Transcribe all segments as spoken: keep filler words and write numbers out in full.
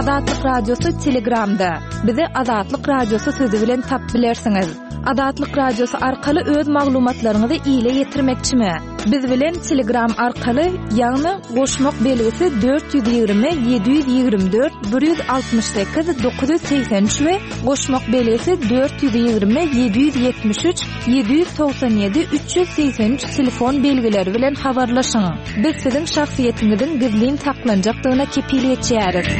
Azatlyk Radiosy Telegramda. Bizi Azatlyk Radiosy sözi bilen tapyp bilersiňiz. Azatlyk Radiosy arkaly öz maglumatlaryňyzy ile ýetirmekçimi? Biz bilen Telegram arkaly, ýagny goşmak belgisi dört ýüz ýigrimi ýedi ýüz ýigrimi dört bir ýüz altmyş sekiz dokuz ýüz segsen üç we goşmak belgisi dört ýüz ýigrimi ýedi ýüz ýetmiş üç ýedi ýüz togsan ýedi üç ýüz segsen üç telefon belgileri bilen habarlaşyň. Biz siziň şahsyýetiňiziň gizlin saklanjakdygyna kepil geçýäris.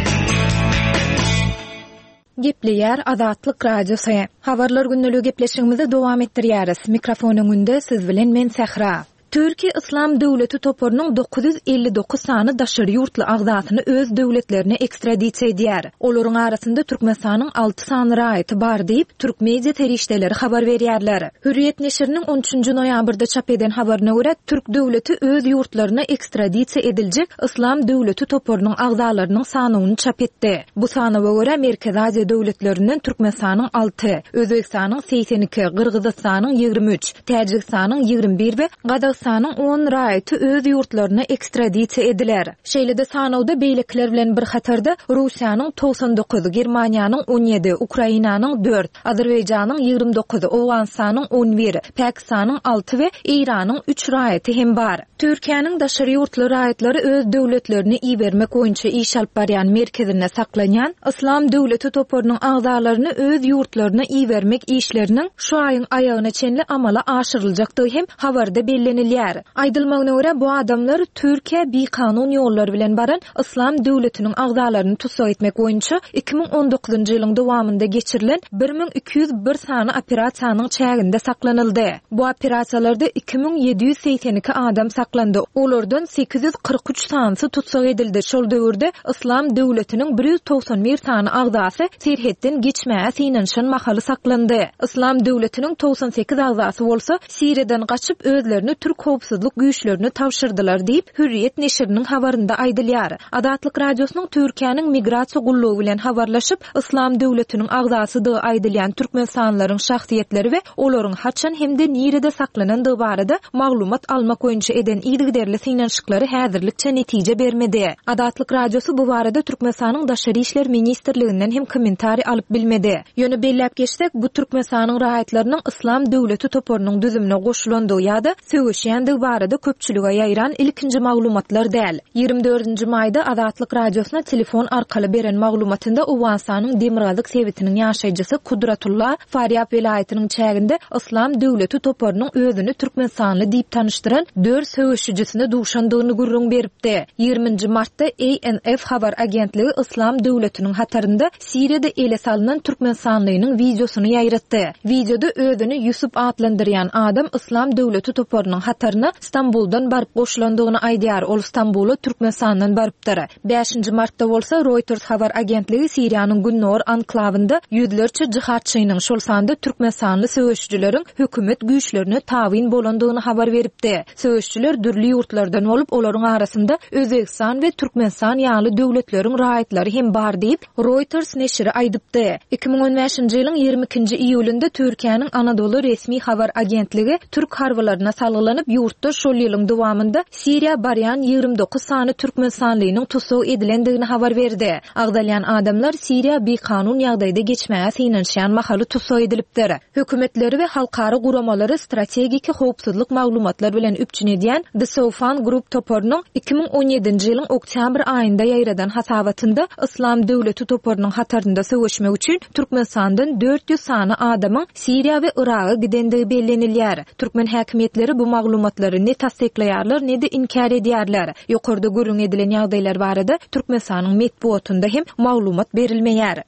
Gepleýär Azatlyk Radiosy. Habarlar gündeligi gepleşigimizi dowam etdirýäris. Mikrofon öňünde siz bilen men Sähra. Türkiýe Yslam döwleti toparynyň dokuz ýüz elli dokuz sany daşary ýurtly agzasyny öz döwletlerine ekstradisiýa edýär. Olaryň arasynda Türkmenistanyň alty sany raýaty bar diýip, türk media serişdeleri habar berýärler. Hürriýet neşiriniň on üçünji noýabrda çap eden habaryna görä, türk döwleti öz ýurtlaryna ekstradisiýa ediljek Yslam döwleti toparynyň agzalarynyň sanawyny çap etdi. Bu sanawa görä Merkezi Aziýa döwletlerinden Türkmenistanyň alty, Özbegistanyň segsen iki, Gyrgyzystanyň ýigrimi üç, Täjigistanyň ýigrimi bir we Gazagystanyň on raýaty öz ýurtlaryna ekstradisiýa ediler. Şeýle-de sanawda beýlekiler bilen bir hatarda Russiýanyň togsan dokuz, Germaniýanyň on ýedi, Ukrainanyň dört, Azerbaýjanyň ýigrimi dokuz, Owganystanyň on bir, Pakistanyň alty we Eýranyň üç raýaty hem bar. Türkiýäniň daşary ýurtly raýatlary öz döwletlerine ibermek boýunça iş alyp barýan merkezinde saklanýan Yslam döwleti toparynyň agzalaryny öz ýurtlaryna ibermek işleriniň şu aýyň aýagyna çenli amala aşyryljakdygy hem habarda bellenilýär. Aýdylmagyna görä, bu adamlar Türkiýä bikanun ýollar bilen baran Yslam döwletiniň agzalaryny tussag etmek boýunça iki müň on dokuzynjy ýylyň dowamynda geçirilen bir müň iki ýüz bir sany operasiýanyň çäginde saklanyldy. Bu operasiýalarda iki müň ýedi ýüz segsen iki adam saklandy. Olardan sekiz ýüz kyrk üç sanysy tussag edildi. Şol döwürde Yslam döwletiniň bir ýüz togsan bir sany agzasy serhetden geçmäge synanyşan mahaly saklandy. Yslam döwletiniň togsan sekiz agzasy bolsa Siriýadan gaçyp özlerini türk howpsuzlyk güýçlerine tabşyrdylar diýip, Hürriýet neşiriniň habarynda aýdylýar. Azatlyk Radiosynyň Türkiýäniň migrasiýa gullugy bilen habarlaşyp, Yslam döwletiniň agzasydygy aýdylýan türkmenistanlylaryň şahsyýetleri we olaryň haçan hem-de nirede saklanandygy barada maglumat almak boýunça eden yzygiderli synanyşyklary häzirlikçe netije bermedi. Azatlyk Radiosy bu barada Türkmenistanyň Daşary işler ministrliginden hem kommentariý alyp bilmedi. Ýöne belläp geçsek, bu Türkmenistanyň raýatlarynyň Yslam döwleti toparynyň düzümine goşulandygy ýa-da söweşýändigi barada köpçülige ýaýran ilkinji maglumatlar däl. Ýigrimi dördünji maýda Azatlyk Radiosyna telefon arkaly beren maglumatynda Owganystanyň Demirgazyk sebitiniň ýaşaýjysy Kudratulla Farýab welaýatynyň çäginde Yslam döwleti toparynyň özüni türkmenistanly diýip tanyşdyran dört söweşijisine duşandygyny gürrüň beripdi. Ýigriminji martda A N F habar agentligi Yslam döwletiniň hatarynda Siriýada ele salynan türkmenistanlynyň wideosyny ýaýratdy. Wideoda özüni Ýusup atlandyrýan adam Yslam döwleti toparynyň hataryna Stambuldan baryp goşulandygyny aýdýar. Ol Stambula Türkmenistandan barypdyr. Bäşinji martda bolsa Reuters habar agentligi Siriýanyň Gündogar anklawynda ýüzlerçe jihatçynyň, şol sanda türkmenistanly söweşijileriň hökümet güýçlerine tabyn bolandygyny habar beripdi. Söweşçiler dürli ýurtlardan bolup, olaryň arasynda Özbegistan we Türkmenistan ýaly döwletleriň raýatlary hem bar diýip, Reuters neşiri aýdypdy. Iki müň on bäşinji ýylyň ýigrimi ikinji iýulynda Türkiýäniň Anadolu resmi habar agentligi türk harbylaryna salgylanyp, ýurtda şol ýylyň dowamynda Siriýa barýan ýigrimi dokuz sany türkmenistanlynyň tussag edilendigini habar berdi. Agzalýan adamlar Siriýa bikanun ýagdaýda geçmäge synanyşýan mahaly tussag edilipdir. Hökümetleri we halkara guramalary strategik howpsuzlyk maglumatlar bilen üpjün edýän The Soufan Group toparynyň iki müň on ýedinji ýylyň oktýabr aýynda ýaýradan hasabatynda Yslam döwleti toparynyň hatarynda söweşmek üçin Türkmenistandan dört ýüz sany adamyň Siriýa we Yraga gidendigi bellenilýär. Türkmen häkimiýetleri bu maglumatlary ne tassyklaýarlar, ne-de inkär edýärler. Ýokarda gürrüň edilen ýagdaýlar barada Türkmenistanyň metbugatynda hem maglumat berilmeýär.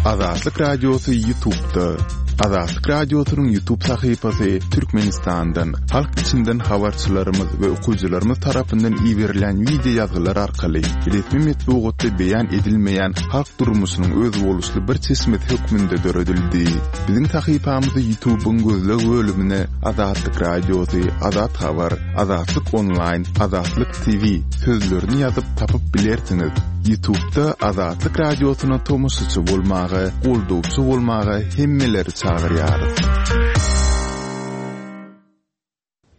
Azatlyk Radiosy YouTube'da. Azatlyk Radiosynyň YouTube sahypasy Türkmenistandan, halk içinden habarçylarymyz we okyjylarymyz tarapyndan iberilen video ýazgylar arkaly resmi metbugatda beýan edilmeýän halk durmuşynyň özboluşly bir çeşmesi hökmünde döredildi. Biziň sahypamyzy YouTube'yň gözleg bölümine Azatlyk Radiosy, Azat Habar, Azatlyk Online, Azatlyk T V sözlerini ýazyp tapyp bilersiňiz. YouTube'da Azatlyk Radiosyna tomaşaçy bolmaga, goldawçy bolmaga hemmeleri çagyrýarys.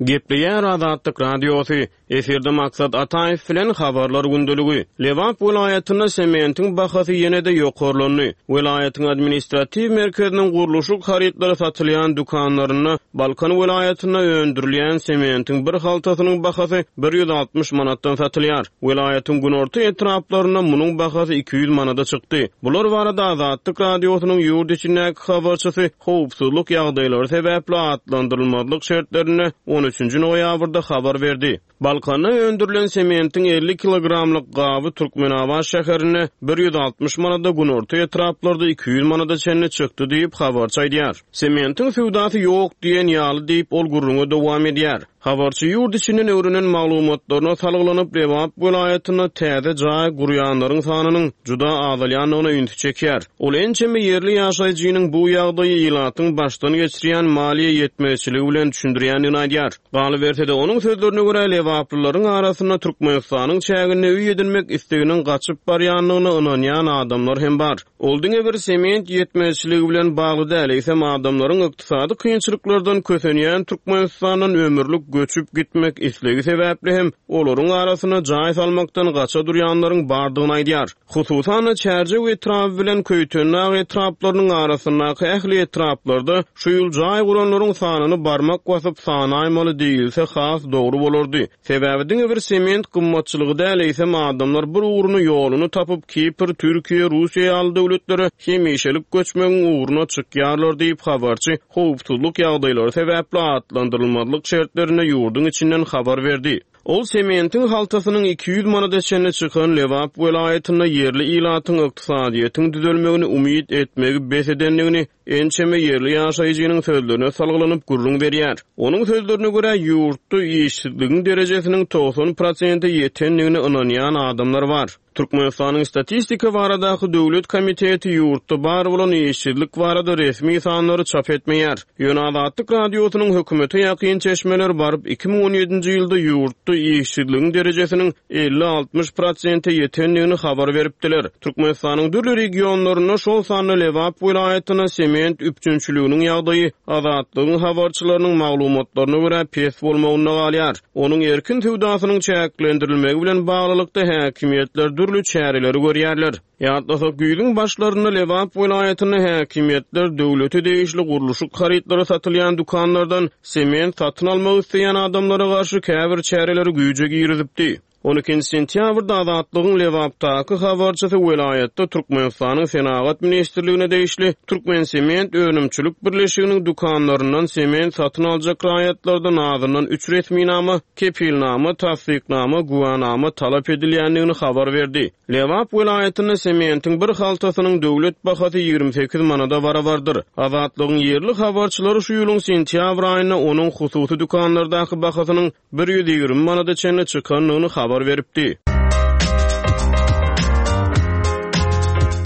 Gepleýär Azatlyk Radiosy. Efirde Maksat Ataýew bilen Habarlar gündeligi. Lebap welaýatynda sementiň bahasy ýene-de ýokarlandy. Welaýatyň administratiw merkeziniň gurluşyk harytlary satylýan dükanlarynda Balkan welaýatynda öndürilýän sementiň bir haltasynyň bahasy bir ýüz altmyş manatdan satylýar. Welaýatyň günorta etraplarynda munuň bahasy iki ýüz manada çykdy. Bular barada Azatlyk Radiosynyň ýurt içindäki habarçysy howpsuzlyk ýagdaýlary sebäpli atlandyrylmazlyk şertlerinde on üçünji noýabrda habar berdi. Balkanda öndürilen sementiň elli kilogramlyk gaby Türkmenabat şäherinde bir ýüz altmyş manada, günorta etraplarda iki ýüz manada çenli çykdy diýip habarçy aýdýar. Sementiň söwdasy ýok diýen ýaly diýip ol gürrüňe dowam edýär. Habarçy ýurt içinden öwrenen maglumatlaryna salgylanyp Lebap welaýatynda täze jaý gurýanlaryň sanynyň juda azalýandygyna ünsi çekýär. Ol ençeme ýerli ýaşaýjynyň bu ýagdaýy ilatyň başdan geçirýän maliýe ýetmezçiligi bilen düşündirýändigini aýdýar. Galyberse-de onuň sözlerine görä Lebaplylaryň arasynda Türkmenistanyň çäginde öý edinmek isteginiň gaçyp barýandygyna ynanýan adamlar hem bar. Ol diňe bir sement ýetmezçiligi bilen bagly däl, eýsem adamlaryň ykdysady kynçylyklardan kösenýän Türkmenistandan ömürlik göçüp gitmek islegi sebäpli hem olaryň arasynda jaý salmakdan gaça durýanlaryň bardygyny aýdýar. Hususan-da Çärjew etraby bilen Köýtendag etraplarynyň arasyndaky ähli etraplarda şu ýyl jaý guranlaryň sanyny barmak basyp sanaýmaly diýilse has dogry bolardy. Sebäbi diňe bir sement gymmatçylygy däl, eýsem adamlar bir ugruny ýoluny tapyp Kipr, Türkiýe, Russiýa ýaly döwletlere hemişelik göçmegiň ugruna çykýarlar diýip habarçy howpsuzlyk ýagdaýlary sebäpli atlandyrylmazlyk şertlerinde ýurduň içinden habar berdi. Ol sementiň haltasynyň iki ýüz manada çenli çykan Lebap welaýatynda ýerli ilatyň ykdysadyýetiň düzelmegini umyt etmegi bes edendigini ençeme ýerli ýaşaýjynyň sözlerine salgylanyp gürrüň berýär. Onuň sözlerine görä ýurtda işsizligiň derejesiniň togsan prosente ýetendigini ynanýan adamlar bar. Türkmenistanyň statistika baradaky döwlet komiteti ýurtda bar bolan işsizlik barada resmi sanlary çap etmeýär. Ýöne Azatlyk Radiosynyň hökümete ýakyn çeşmeler baryp iki müň on ýedinji ýylda ýurtda işsizligiň derejesiniň elli altmyş prosente ýetendigini habar beripdiler. Türkmenistanyň dürli regionlarynda şol sanda Lebap welaýatynda sement üpjünçiliginiň ýagdaýy Azatlygyň habarçylarynyň maglumatlaryna görä pes bolmagynda galýar. Onuň erkin söwdasynyň çäklendirilmegi bilen baglylykda häkimiýetler dürli çäreleri görýärler. Ýatlasak, güýzüň başlarynda Lebap welaýatynda häkimiýetler döwlete degişli gurluşyk harytlary satylýan dükanlardan sement satyn almak isleýän adamlara garşy käbir çäreleri güýje girizipdi. on ikinji sentýabrda Azatlygyň Lebapdaky habarçysy welaýatda Türkmenistanyň Senagat Ministrligine degişli Türkmen Sement Önümçilik Birleşiginiň dükanlaryndan sement satyn aljak raýatlardan azyndan üç resminama, kepilnama, tassyknama, güwanama talap edilýändigini habar berdi. Lebap welaýatynda sementiň bir haltasynyň döwlet bahasy ýigrimi sekiz manada barabardyr. Azatlygyň ýerli habarçylary şu ýylyň sentýabr aýynda onuň hususy dükanlardaky bahasynyň bir ýüz ýigrimi manada çenli çykandygyny habar beripdi.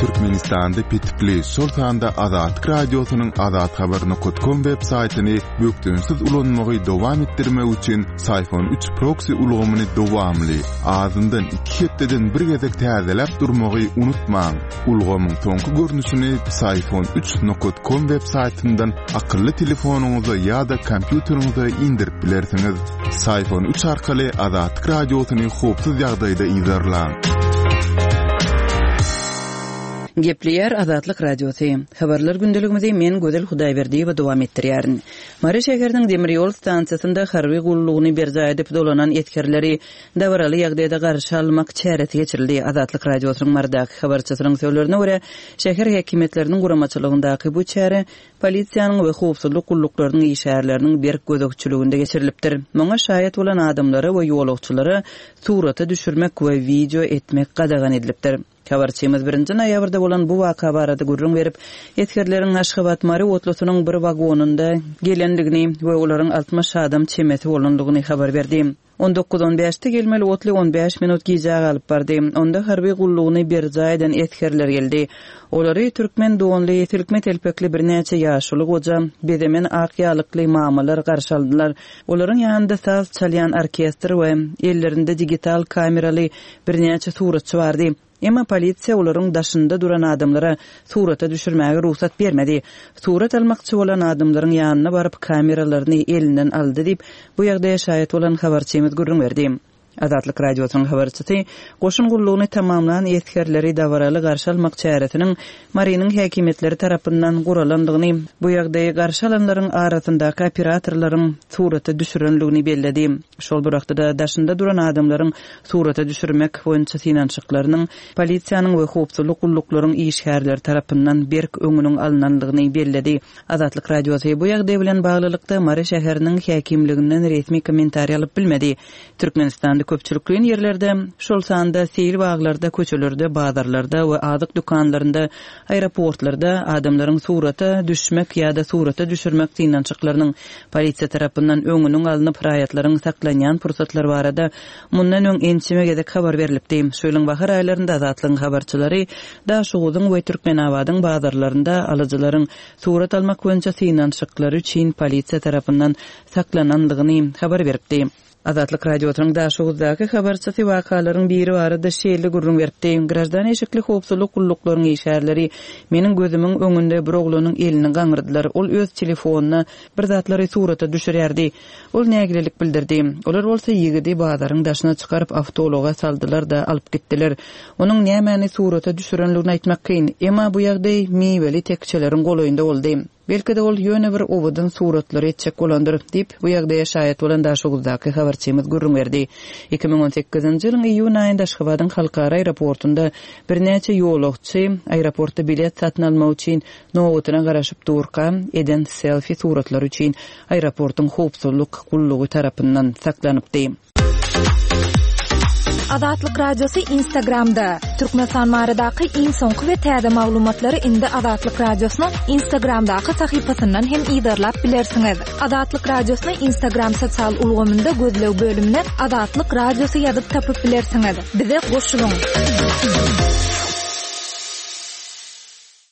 Türkmenistanda petikli, şol sanda Azatlyk Radiosynyň azathabar nokta com web saýtyny bökdençsiz ulanmagy dowam etdirmek üçin Syfon üç proxy ulgamyny dowamly, azyndan iki hepdeden bir gezek täzeläp durmagy unutmaň. Ulgamyň soňky görnüşini Syfon üç nokta com web saýtyndan akylly telefonyňyza ýa-da kompýuteriňize indirip bilersiňiz. Syfon üç arkaly Azatlyk Radiosyny howpsuz ýagdaýda yzarlaň. Gepleýär Azatlyk Radiosy. Habarlar gündeligimizi men Gözel Hudaýberdiýewa dowam etdirýärin. Mary şäheriniň demir ýol stansiýasynda harby gullugyny berjaý edip dolanan esgerleri dabaraly ýagdaýda garşy almak çäresi geçirildi. Azatlyk Radiosynyň Marydaky habarçysynyň sözlerine görä, şäher häkimiýetleriniň guramaçylygyndaky bu çäre polisiýanyň we howpsuzlyk gulluklarynyň işgärleriniň berk gözegçiliginde geçirilipdir. Muňa şaýat bolan adamlara we ýolagçylara surata düşürmek we video etmek gadagan edilipdir. Habarçymyz birinji noýabrda bolan bu waka barada gürrüň berip, esgerleriň Aşgabat Mary otlusynyň bir wagonynda gelendigini we olaryň altmyş adam çemesi bolandygyny habar berdi. On dokuz on bäşde gelmeli otly on bäş minut gijä galyp bardy. Onda harby gullugyny berjaý eden esgerler geldi. Olary türkmen donly, silkme telpekli birnäçe ýaşuly goja, bezemen ak ýalykly mamalar garşy aldylar. Olaryň ýanynda saz çalýan orkestr we ellerinde digital kameraly birnäçe suratçy bardy. Emma polisiýa olaryň daşynda duran adamlara surata düşürmäge rugsat bermedi. Surat almakçy bolan adamlaryň ýanyna baryp kameralaryny elinden aldy diýip, bu ýagdaýa şaýat bolan habarçymyz gürrüň berdi. Azatlyk Radiosynyň habarçysy goşun gullugyny tamamlan esgerleri dabaraly garşy almak çäresiniň Marynyň häkimiýetleri tarapyndan guralandygyny, bu ýagdaýy garşy alanlaryň arasyndaky operatorlaryň surata düşürendigini belledi. Şol bir wagtda daşynda duran adamlaryň surata düşürmek boýunça synanyşyklarynyň polisiýanyň we howpsuzlyk gulluklaryň işgärleri tarapyndan berk öňüniň alynandygyny belledi. Azatlyk Radiosy bu ýagdaý bilen baglylykda Mary şäheriniň häkimliginden resmi kommentariý alyp bilmedi. Türkmenistanda köpçülikleýin ýerlerde, şol sanda seýil baglarda, köçelerde, bazarlarda we azyk dükanlarynda, aeroportlarda adamlaryň surata düşmek ýa-da surata düşürmek synanyşyklarynyň polisiýa tarapyndan öňüniň alnyp raýatlaryň saklanýan pursatlar barada mundan öň ençeme gezek habar berilipdi. Şu ýylyň bahar aýlarynda Azatlygyň habarçylary Daşoguzyň we Türkmenabadyň bazarlarynda alyjylaryň surat almak boýunça synanyşyklary üçin polisiýa tarapyndan saklanandygyny habar beripdi. Azatlyk Radiosynyň Daşoguzdaky habarçysy wakalaryň biri barada şeýle gürrüň beripdi. Grajdan eşikli howpsuzlyk gulluklaryň işgärleri meniň gözümiň öňünde bir oglanyň elini gaňyrdylar. Ol öz telefonyna bir zatlary surata düşürýärdi. Ol nägilelik bildirdi. Olar bolsa ýigidi bazaryň daşyna çykaryp awtoulaga saldylar-da alyp gitdiler. Onuň nämäni surata düşürenligini aýtmak kyn. Emma bu ýagdaý miweli tekçeleriň golaýynda boldy. Belki-de ol ýöne bir owadan suratlary etjek bolandyr diýip, bu ýagdaýa şaýat bolan Daşoguzdaky habarçymyz gürrüň berdi. iki müň on sekizinji ýylyň iýun aýynda Aşgabadyň halkara aeroportunda birnäçe ýolagçy aeroportda bilet satyn almak üçin nobatyna garaşyp durka eden selfie suratlary üçin aeroportuň howpsuzlyk gullugy tarapyndan saklanypdy. Azatlyk Radiosy Instagramda. Türkmenistan baradaky iň soňky we täze maglumatlary indi Azatlyk Radiosynyň Instagramdaky sahypasyndan hem yzarlap bilersiňiz. Azatlyk Radiosyny Instagram sosial ulgamynda gözleg bölümine Azatlyk Radiosy ýazyp tapyp bilersiňiz. Bize goşulyň.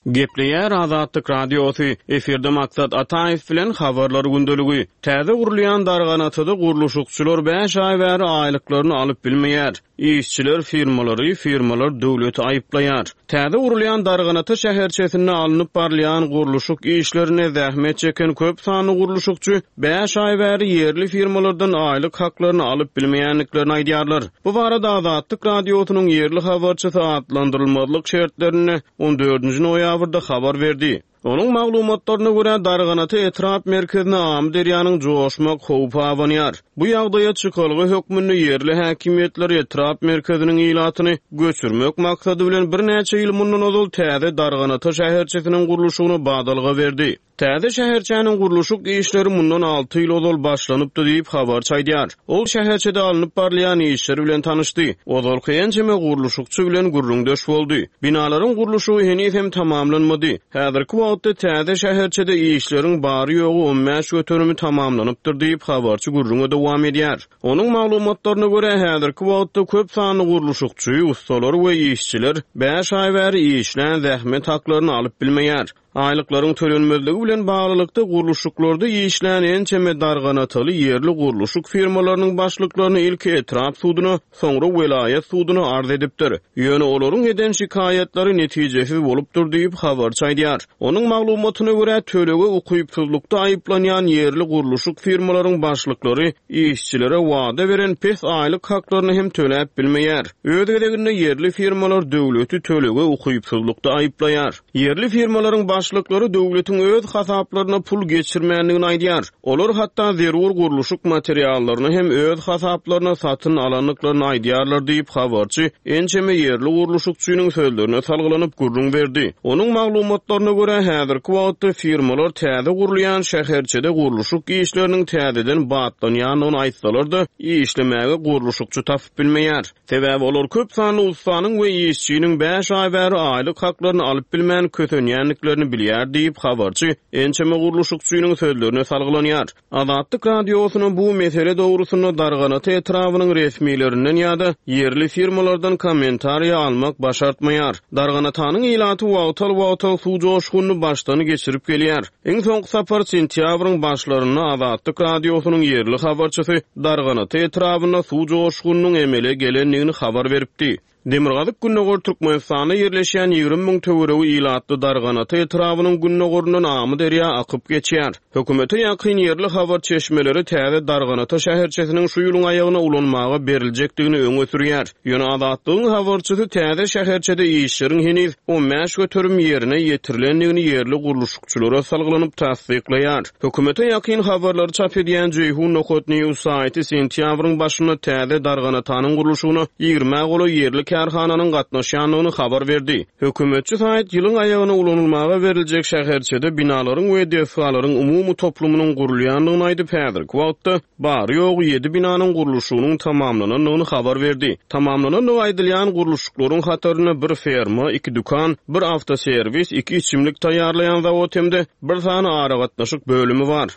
Gepleýär Azatlyk Radiosy. Efirde Maksat Ataýew bilen habarlar gündeligi. Täze gurulýan Darganatada gurluşykçylar bäş aý bäri aýlyklaryny alyp bilmeýär. Işçiler firmalary, firmalar döwleti aýyplaýar. Täze gurulýan Darganata şäherçesinde alnyp barylýan gurluşyk işlerine zähmet çeken köp sanly gurluşykçy bäş aý bäri ýerli firmalardan aýlyk haklaryny alyp bilmeýändiklerini aýdýarlar. Bu barada Azatlyk Radiosynyň ýerli habarçysy atlandyrylmazlyk şertlerinde on dördünji noýabrda habar berdi. Onuň maglumatlaryna görä Darganata etrap merkezine Amyderýanyň joşmak howpy abanýar. Bu ýagdaýa çykalga hökmünde ýerli häkimiýetler etrap merkeziniň ilatyny göçürmek maksady bilen birnäçe ýyl mundan ozal täze Darganata şäherçesiniň gurluşygyna badalga berdi. Täze şäherçäniň gurluşyk işleri mundan alty ýyl ozal başlanypdy diýip habarçy aýdýar. Ol şäherçede alnyp barylýan işler bilen tanyşdy. Ozalky ençeme gurluşykçy bilen gürrüňdeş boldy. Binalaryň gurluşygy heniz hem tamamlanmady. Häzirki wagtda täze şäherçede işleriň bary ýogy on bäş göterimi tamamlanypdyr diýip habarçy gürrüňe dowam edýär. Onuň maglumatlaryna görä häzirki wagtda köp sanly gurluşykçy, ustalar we işçiler bäş aý bäri işlän zähmet haklaryny alyp bilmeýär. Aýlyklaryň tölenmezligi bilen baglylykda gurluşyklarda işlän ençeme darganataly ýerli gurluşyk firmalarynyň başlyklaryny ilki etrap suduna, soňra welaýat suduna arz edipdir. Ýöne olaryň eden şikaýatlary netijesiz bolupdyr diýip habarçy aýdýar. Onuň maglumatyna görä tölege ukypsyzlykda aýyplanýan ýerli gurluşyk firmalaryň başlyklary işçilere wada beren pes aýlyk haklaryny hem töläp bilmeýär. Öz gezeginde ýerli firmalar döwleti tölege ukypsyzlykda aýyplaýar. Ýerli firmalaryň başlyklary döwletiň öz hasaplaryna pul geçirmändigini aýdýar. Olar hatda zerur gurluşyk materiallaryny hem öz hasaplaryna satyn alandyklaryny aýdýarlar diýip habarçy ençeme ýerli gurluşykçynyň sözlerine salgylanyp gürrüň berdi. Onuň maglumatlaryna görä häzirki wagtda firmalar täze gurulýan şäherçede gurluşyk işleriniň täzeden batlanýandygyny aýtsalar-da, işlemäge gurluşykçy tapyp bilmeýär. Sebäbi olar köp sanly ustanyň we işçiniň bäş aý bäri aýlyk haklaryny alyp bilmän kösenýändiklerini bilýär diýip habarçy ençeme gurluşykçynyň sözlerine salgylanýar. Azatlyk Radiosyna bu mesele dogrusynda Darganata etrabynyň resmilerinden ýa-da ýerli firmalardan kommentariýa almak başartmaýar. Darganatanyň ilaty wagtal-wagtal suw joşgunyny başdan geçirip gelýär. Iň soňky sapar sentýabryň başlarynda Azatlyk Radiosynyň ýerli habarçysy Darganata etrabynda suw joşgunynyň emele gelendigini habar beripdi. Demirgazyk-Gündogar Türkmenistanda ýerleşýän ýigrimi müň töweregi ilatly Darganata etrabynyň gündogaryndan Amyderýa akyp geçýär. Hökümete ýakyn ýerli habar çeşmeleri täze Darganata şäherçesiniň şu ýylyň aýagyna ulanmaga beriljekdigini öňe sürýär. Ýöne Azatlygyň habarçysy täze şäherçede işleriň heniz on bäş göterim ýerine ýetirilendigini ýerli gurluşykçylara salgylanyp tassyklaýar. Hökümete ýakyn habarlary çap edýän Jeýhun Nokat News saýty sentýabryň başynda täze Darganatanyň gurluşygyna ýigrimi golaý ýerli kärhananyň gatnaşýandygyny habar berdi. Hökümetçi saýt ýylyň aýagyna ulanylmaga beriljek şäherçede binalaryň we desgalaryň umumy toplumynyň gurulýandygyny aýdyp, häzirki wagtda bary ýogy ýedi binanyň gurluşygynyň tamamlanandygyny habar berdi. Tamamlanandygy aýdylýan gurluşyklaryň hatarynda bir ferma, iki dükan, bir awtoserwis, iki içimlik taýýarlaýan zawod hem-de bir sany aragatnaşyk bölümi bar.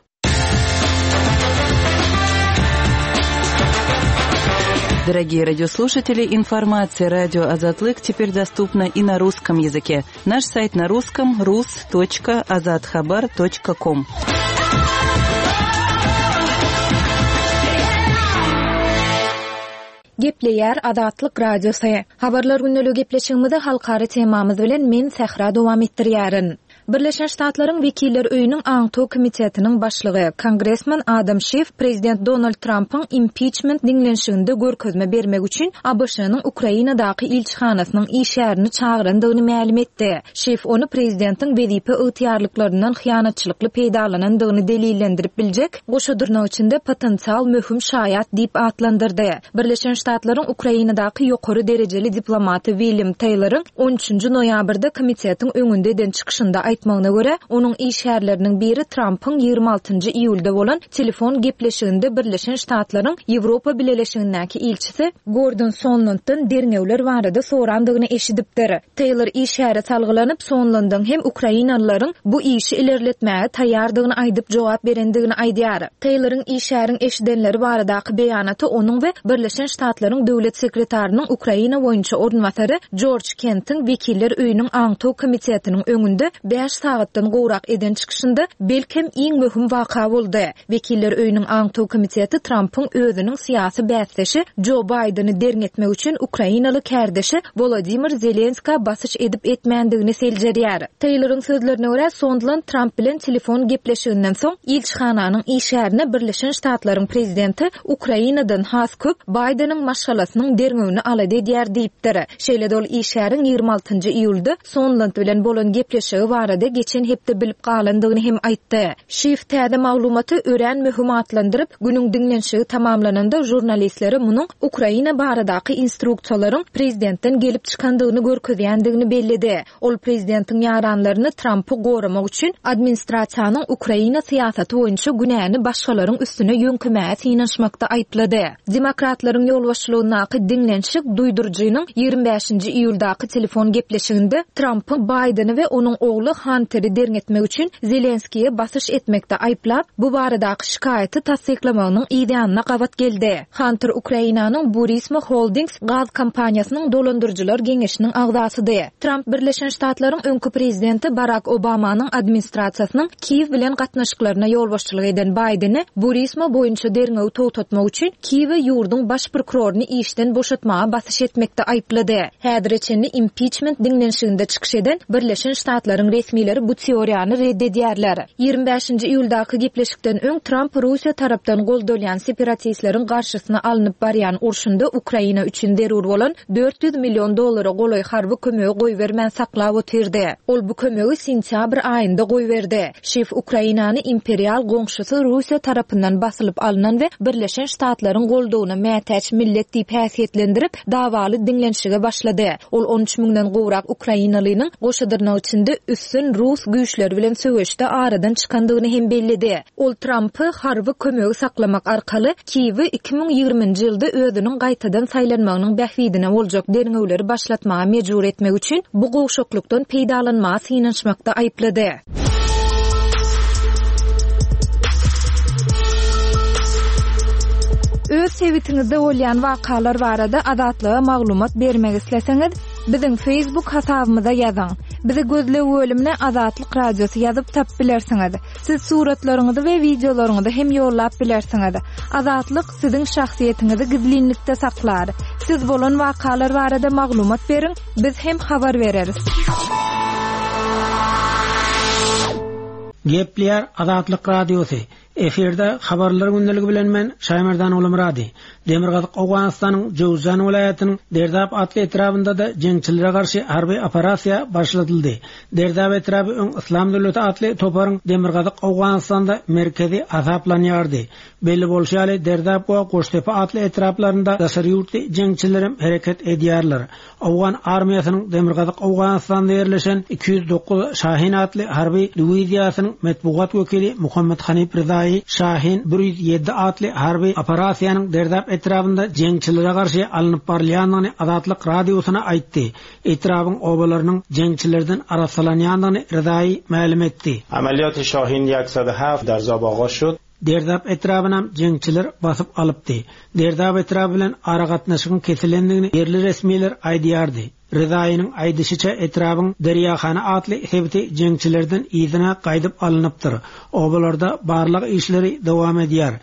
Дорогие радиослушатели, информация радио Азатлык теперь доступна и на русском языке. Наш сайт на русском рус точка азатхабар точка ком. Gepleýär Azatlyk Radiosy. Habarlar günlügi gepleşigimizi halkara temamyz bilen men Sähra dowam etdirýärin. Birleşen Ştatlaryň Wekiller Öýüniň Aňtaw komitetiniň başlygy Kongresmen Adam Schiff Prezident Donald Trumpyň impeachment diňlenişiginde görkezme bermek üçin A B Ş-nyň Ukrainadaky ilçihanasynyň işgärini çagyrandygyny mälim etdi. Schiff ony prezidentiň wezipe ygtyýarlyklaryndan hyýanatçylykly peýdalanandygyny delillendirip biljek goşa dyrnak içinde potensial möhüm şaýat diýip atlandyrdy. Birleşen Ştatlaryň Ukrainadaky ýokary derejeli diplomaty William Taylor'yň on üçünji noýabrda komitetiň öňünde eden çykyşynda aýtmagyna görä, onuň işgärleriniň biri Trumpyň ýigrimi altynjy iýulda bolan telefon gepleşiginde Birleşen Ştatlaryň Ýewropa Bileleşigindäki ilçisi Gordon Sondlanddan derňewler barada sorandygyny eşidipdir. Taylor işgäre salgylanyp Sondlandyň hem Ukrainalylaryň bu işi ilerletmäge taýýardygyny aýdyp jogap berendigini aýdýar. Taylor'yň işgäriň eşidenleri baradaky beýanaty onuň we Birleşen Ştatlaryň döwlet sekretarynyň Ukraina boýunça orunbasary George Kent'iň Wekiller Öýüniň Aňtaw komitetiniň öňünde bäş sagatdan gowrak eden çykyşynda belkem iň möhüm waka boldy. Wekiller Öýüniň Aňtaw komiteti Trumpyň özüniň syýasy bäsdeşi Joe Biden'i derňetmek üçin Ukrainaly kärdeşi Volodymyr Zelenska basyş edip etmändigini seljerýär. Taylor'yň sözlerine görä Sondland Trump bilen telefon gepleşiginden soň ilçihananyň işgärine Birleşen Ştatlaryň prezidenti Ukrainadan has köp Biden'iň maşgalasynyň derňewini alada edýär diýipdir. Şeýle-de ol işgäriň ýigrimi altynjy iýulda Sondland bilen bolan gepleşigi barada geçen hepde bilip galandygyny hem aýtdy. Schiff täze maglumaty örän möhüm atlandyryp, günüň diňlenişigi tamamlananda jurnalistlere munuň Ukraina baradaky instruksiýalaryň prezidentden gelip çykandygyny görkezýändigini belledi. Ol prezidentiň ýaranlaryny Trumpy goramak üçin administrasiýanyň Ukraina syýasaty boýunça günäni başgalaryň üstüne ýöňkemäge synanyşmakda aýyplady. Demokratlaryň ýolbaşçylygyndaky diňlenişik duýduryjynyň ýigrimi bäşinji iýuldaky telefon gepleşiginde Trumpy Biden'i we onuň ogly Hunter'i derňetmek üçin Zelenskiýe basyş etmekde aýyplap, bu baradaky şikaýaty tassyklamagynyň ýanyna gabat geldi. Hunter Ukrainanyň Burisma Holdings gaz kompaniýasynyň dolandyryjylar geňeşiniň agzasydy. Trump Birleşen Ştatlaryň öňki prezidenti Barack Obamanyň administrasiýasynyň Kiýew bilen gatnaşyklaryna ýolbaşçylyk eden Biden'i Burisma boýunça derňewi togtatmak üçin Kiýewe ýurduň baş prokuroryny işden boşatmaga basyş etmekde aýyplady. Häzire çenli impeachment diňlenişiginde çykyş eden Birleşen Ştatlaryň resmileri bu teoriýany red edýärler. Ýigrimi bäşinji iýuldaky gepleşikden öň Trump Russiýa tarapdan goldalýan separatistleriň garşysyna alnyp barýan urşunda Ukraina üçin zerur bolan dört ýüz million dollara golaý harby kömegi goýbermän saklap otyrdy. Ol bu kömegi sentýabr aýynda goýberdi. Schiff Ukrainany imperial goňşusy Russiýa tarapyndan basylyp alynan we Birleşen Ştatlaryň goldawyna mätäç millet diýip häsiýetlendirip, dawaly diňlenişige başlady. Ol on üç müňden gowrak Ukrainalynyň goşa dyrnak içinde üstün Rus güýçleri bilen söweşde aradan çykandygyny hem belledi. Ol Trumpy harby kömegi saklamak arkaly Kiýewi iki müň ýigriminji ýylda özüniň gaýtadan saýlanmagynyň bähbidine boljak derňewleri başlatmaga mejbur etmek üçin bu gowşaklykdan peýdalanmaga synanyşmakda aýyplady. Öz sebitiňizde bolýan wakalar barada Azatlyga maglumat bermek isleseňiz, biziň Facebook hasabymyza ýazyň. Bizi gözleg bölümine Azatlyk Radiosy ýazyp tap bilersiňiz. Siz suratlaryňyzy we wideolaryňyzy hem ýollap bilersiňiz. Azatlyk siziň şahsyýetiňizi gizlinlikde saklar. Siz bolan wakalar barada maglumat beriň, biz hem habar bereris. Gepleýär Azatlyk Radiosy. Efirde habarlar gündeligi bilen men Şaýmerdan Ulumrady. Demirgazyk Owganystanyň Jowzjan welaýatynyň Derdap atly etrabynda da jeňçilere garşy harby operasiýa başladyldy. Derdap etraby öň Islam döwleti atly toparyň Demirgazyk Owganystanda merkezi hasaplanýardy. Belli bolşy ýaly Derdap we Goştepe atly etraplarynda daşary ýurtly jeňçiler hereket edýärler. Owgan armiýasynyň Demirgazyk Owganystanda ýerleşen iki ýüz dokuz Şahin atly harby diwiziýasynyň metbugat wekili Muhammed Hanif Rızaýy Şahin bir ýüz ýedi atly harby operasiýanyň Derdap etrabynda jeňçilere garşy alnyp barylýandygyny Azatlyk Radiosyna aýtdy. Etrabyň obalarynyň jeňçilerden arassalanýandygyny Rızaýy mälim etdi. Amaliyat Şahin ýüz heft Derzab ağaz şud. Derdap etrabynam jeňçiler basyp alypdy. Derdap etraby bilen aragatnaşygyň kesilendigini ýerli resmiler aýdýardy. Rızaýynyň aýdyşyça etrabyň Derýahana atly sebiti jeňçilerden yzyna gaýdyp alynypdyr. Obalarda barlyk işleri dowam edýär.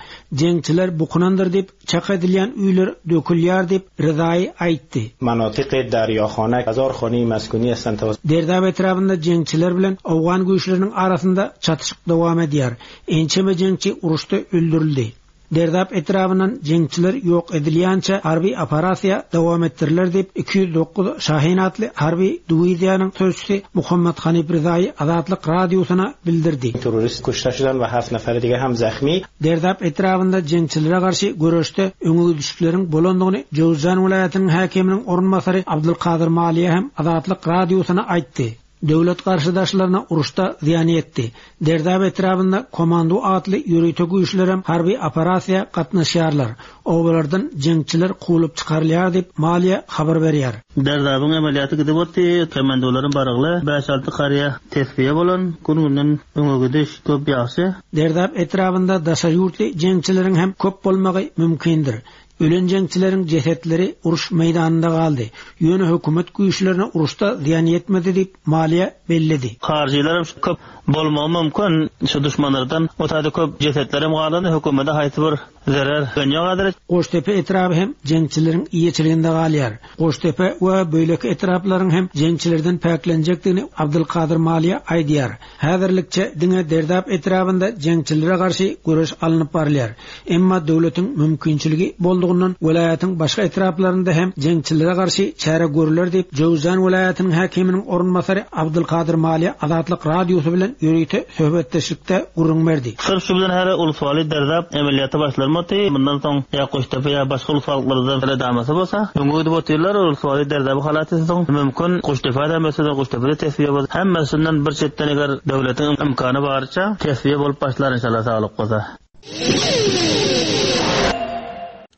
Jeňçiler bukunandyr diýip çak edilýän öýler dökülýär diýip Rızaýy aýtdy. Manatyk Derýahana hezar khani maskuni هستند. Derdap etrabynda jeňçiler bilen Owgan güýçleriniň arasynda çatyşyk dowam edýär. Ençeme jeňçi uruşda öldürildi. Derdap etrabyndan jeňçiler ýok edilýänçe harby operasiýa dowam etdiriler diýip iki ýüz dokuz Şahin atly harby diwiziýanyň sözçüsi Muhammed Hanif Rızaýy Azatlyk Radiosyna bildirdi. Terrorist kuşta şudan we heft neferi dige hem zahmi. Derdap etrabynda jeňçilere garşy göreşde öňe düşükleriň bolandygyny Jowzjan welaýatynyň häkiminiň orunbasary Abdulkadir Maliýe hem Azatlyk Radiosyna aýtdy. Döwlet garşydaşlaryna uruşda zyýan ýetdi. Derdap etrabynda komando atly ýörite güýçlerem harby operasiýa gatnaşýarlar. Obalardan jeňçiler kowulyp çykarylýar diýip Maliýe habar berýär. Derdabyň emeliýaty gidip otdy, komandolaryň barygly bäş alty garýa tesbiýe bolan gün-günden öňe gidiş köp ýagşy. Derdap etrabynda daşary ýurtly jeňçileriň hem köp bolmagy mümkindir. Ölen jeňçileriň jesetleri uruş meýdanynda galdy. Ýöne hökümet güýçlerine uruşda zyýan ýetmedi diýip Maliýe belledi. Harjylar hem köp bolmagy mümkin. Şu düşmanlardan o taýda köp jesetler hem galdy. Hökümete haýsy bir zerer gönýä gadyr. Goştepe etraby hem jeňçileriň iýeçiliginde galýar. Goştepe we beýleki etraplaryň hem jeňçilerden päklenjekdigini Abdulkadir Maliýe aýdýar. Häzirlikçe diňe Derdap etrabynda jeňçilere garşy göreş alnyp barylýar. Emma döwletiň mümkinçiligi boldugyndan welaýatyň başga etraplarynda hem jeňçilere garşy çäre görüler diýip Jowzjan welaýatynyň häkiminiň orunbasary Abdulkadir Maliýe Azatlyk Radiosy bilen ýörite söhbetdeşlikde gürrüň berdi. Sırf şu bilen her uluswaly Derdap emeliýaty başlarmady. Bundan soň ýa Goştepe ýa başga uluswalyklardan redamasy bolsa, öňe gidip otyrlar, uluswaly Derdaby halat etsin, mümkin Goştepe da mesela Goştepe tesbiýe bolsa, hemmesinden bir çetden eger döwletiň imkany barça tesbiýe bolup başlar inşallah saglyk bolsa.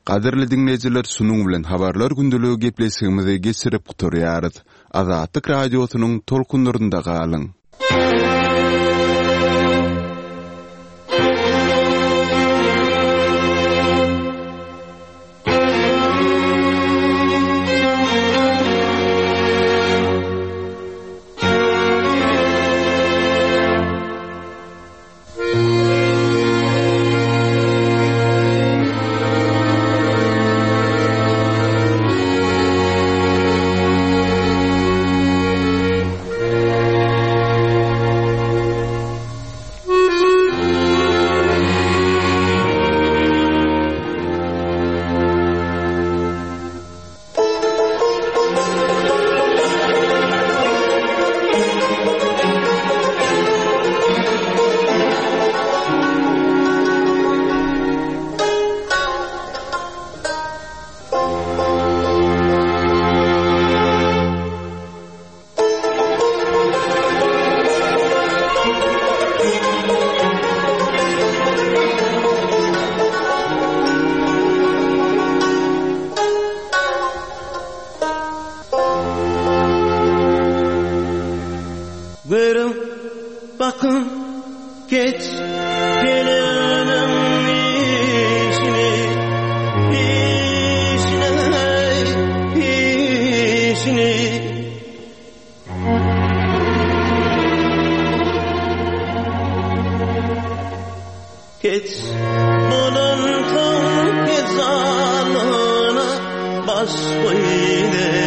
Gadyrly dinleýjiler, şunuň bilen habarlar gündeligi gepleşigimizi geçirip gutarýarys. Azatlyk Radiosynyň tolkunlarynda galyň. Geç bunun tüm aşkyny.